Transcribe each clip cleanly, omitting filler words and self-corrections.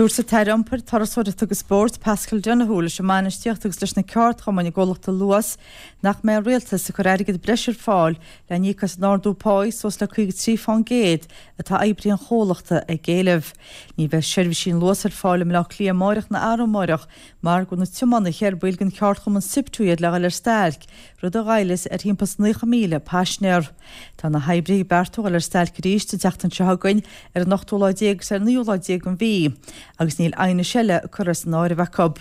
Dúirt an tAire Iompair, Turasóireachta agus Spóirt, Paschal Donohoe leis an mbainistíocht agus leis na ceardchumainn i gcomhlacht Luas nach mbeidh an Rialtas ag cur airgead breise ar fáil le n-íoc as an ardú páí suas le 53% atá oibrithe an chomhlachta ag éileamh. Ní bheidh seirbhísí an Luas ar fáil i mBleá Cliath amáireach ná arú amáireach mar go bhfuil na tiománaithe ar baill den cheardchumann SIPTU iad le dhul ar stailc, rud a ghoillfeas ar thimpeall is 90,000 paisinéir. Tá na hoibrithe ag beartú dhul ar stailc arís an tseachtain seo chugainn ar an ochtú lá déag agus ar an naoú lá déag den mhí agus níl aighnis eile curtha san áireamh acu.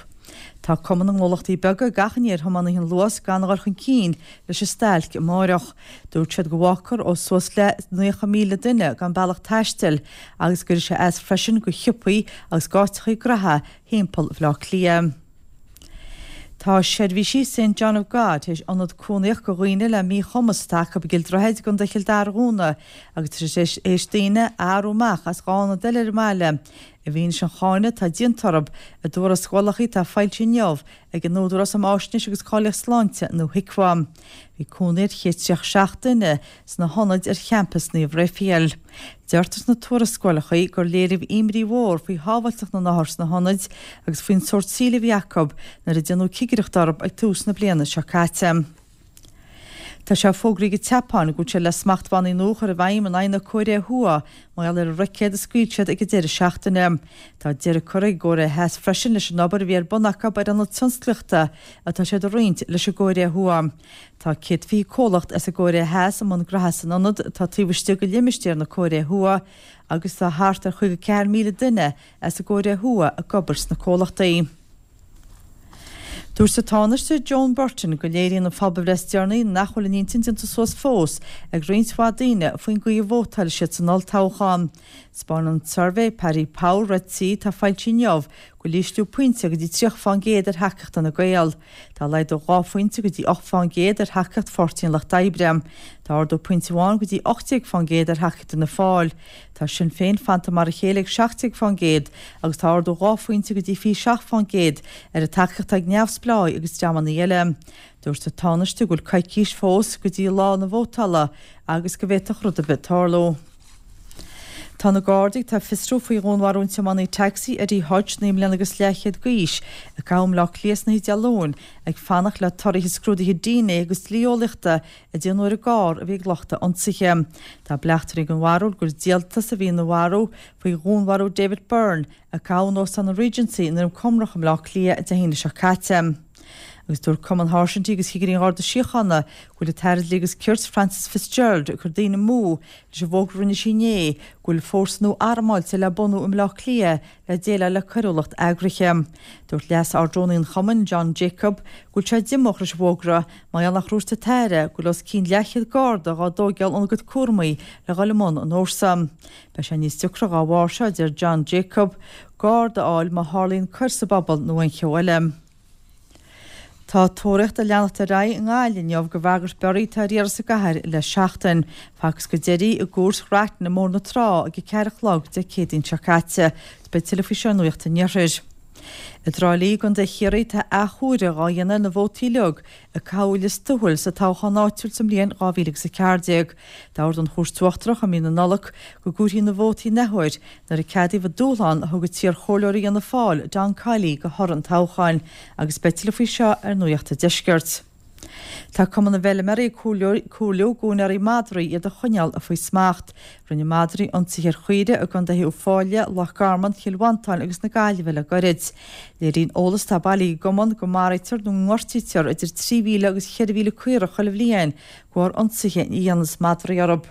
Tá Cumann na nGnólachtaí Beaga ag achainí ar thiománaithe an Luas gan a dhul chun cinn leis an stailc amáireach. Dúirt siad go bhfágfar ó suas le 90,000 duine gan bealach taistil agus go gcuirfidh sé as freisin go shiopaí agus dh'áiteachaí graithe thimpeall Bhaile Átha Cliath. Tá seirbhísí Saint John of God tar éis ionad cónaíocht go dhaoine le míchumas atá acu i gCill Droichid i gContae Chill Dara a dhúnadh agus tá siad tar éis daoine a athrú amach as 2 ionad eile ar an mbaile i bhfianaise an cháineadh atá déanta orthu i dtuarascálacha atá foilsithe inniu ag an Údarás um Fháisnéis agus Cáilíocht Sláinte nó HIQA. Bhí cónaí ar 137 duine sna hionaid ar champas Naomh Raphael. Deirtear sna tuarascálacha gur léiríodh imní mhór faoi shábháilteacht na n-othar sna hionaid agus faoin sórt saoil a bhí acu nuair a déanadh cigireacht orthu ag tús na bliana seo caite. Tá sé fógraithe ag an tSeapáin go bhfuil siad le smachtbhannaí nua a chur i bhfeidhm in aghaidh na Cóiré Thuaidh mar gheall ar an roicéad a scaoil siad ag an deireadh seachtaine. Tá deireadh curtha ag an gCóiré Theas freisin leis an obair a bhí ar bun acu ar ionad tionsclaíochta atá siad a roinnt leis an gCóiré Thuaidh. Tá 120 comhlacht as an gCóiré Theas i mbun graithe san ionad atá taobh istigh de limistéar na Cóiré Thuaidh agus tá thart ar 54,000 duine as an gCóiré Thuaidh ag obair sna comhlachtaí. Dúirt an Tánaiste Joan Burton go léiríonn an phobalbhreith is deireanaí nach bhfuil a n-intinn déanta suas fós ag roinnt mhaith daoine faoin gcaoi a vótálfaidh siad san olltoghchán. 'Spáineann an suirbhé Paddy Power rte atá foilsithe inniu go bhfuil ísliú pointe go dtí 30% ar thacaíocht Fhine Gael. Tá laghdú 2 phointe go dtí 8% ar thacaíocht Pháirtí an Lucht Oibre. Tá ardú pointe amháin go dtí 18% ar thacaíocht Fhianna Fáil. Tá Sinn Féin fanta mar a chéile ag 17% agus tá ardú 2 phointe go dtí 27% ar an tacaíocht atá ag neamhspleáigh agus dreamanna eile. Dúirt an Tánaiste go bhfuil coicís fós go dtí lá na vótála agus go bhféadfadh rud ar bith tarlú. Tá na Gardaí atá ag fiosrú faoi dhúnmharú an tiománaí tacsaí Eddie Hutch, 9 mbliana agus leathchéad d'aois, a gabhadh i mBleá Cliath san oíche Dé Luain, ag fanacht le torthaithe scrúduithe dna agus dlí-eolaíochta a déanadh ar an gcarr a bhí ag lucht a ionsaithe. Tá bleachtairí den bharúil gur díoltas a bhí ina bharú faoi dhúnmharú David Byrne, a gabhadh in Óstán an Regency i nDroim Conrach i mBleá Cliath Dé hAoine seo caite. Agus dúirt Cumann Sháirsintí agus Chigirí an Gharda Síochána go bhfuil an tAire Dlí agus Cirt Frances Fitzgerald ag cur daoine amú leis an bhfógra a rinne sí inné go bhfuil fórsa nua armáilte le bunú i mBleá Cliath le déileáil le coiriúlacht eagraithe. Dúirt Leas-Ardrúnaí an chumainn, John Jacob, go bhfuil sé diomúch leis an bhfógra mar gheall nach ndúirt an tAire go bhfuil os cionn leathchéad Garda dhá dtóigeáil óna gcuid cúramaí le dhul i mbun an fhórsa. Beidh sé níos deacra dhá bharr seo, a deir John Jacob, Garda a fháil má tharlaíonn coir sa bpobal nó aon cheo eile. Tá tóraíocht ag leanacht ar aghaidh i nGaillimh inniu do bhagairt Berry atá ar iarraidh sa gcathair le seachtain. Facthas go deiridh i gCúirt Ghrattan i mBóthar na Trá ag a 4 a chlog Dé Céadaoin seo caite. Beidh tuilleadh faoi seo i Nuacht an Iarthair. I dTrá Lí i gContae Chiarraí tá athchomhaireamh dhá dhéanamh ar na vótaí uilig a caitheadh i Lios Tuathail sa toghchán áitiúil sa mbliain 2014. D'ordaigh an Chúirt Uachtarach i mí na Nollag go gcomhairfí na vótaí in athuair nuair a ceadaíodh an dúshlán a thug an t-iarchomhairleoir Fhianna Fáil, Don Kiely, do thoradh an toghcháin agus beidh tuilleadh faoi seo ar Nuacht an Deiscirt. Tá Cumann na bhFeilméaraí ag comhairliú d'úinéirí madraí iad a choinneáil faoi smacht. Rinne madraí ionsaithe ar chaoirigh i gcontaetha Uíbh Fhailí, Loch Garman, Chill Mhantáin agus na Gaillimhe le goirid. Léiríonn eolas atá bailithe ag an gcumann go maraítear nó go ngortaítear idir 3,000 agus 4,000 caorach chuile bhliain de bharr ionsaithe a dhéanas madraí orthu.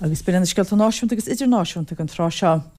Agus b'in iad na scéalta náisiúnta agus idirnáisiúnta don tráth seo.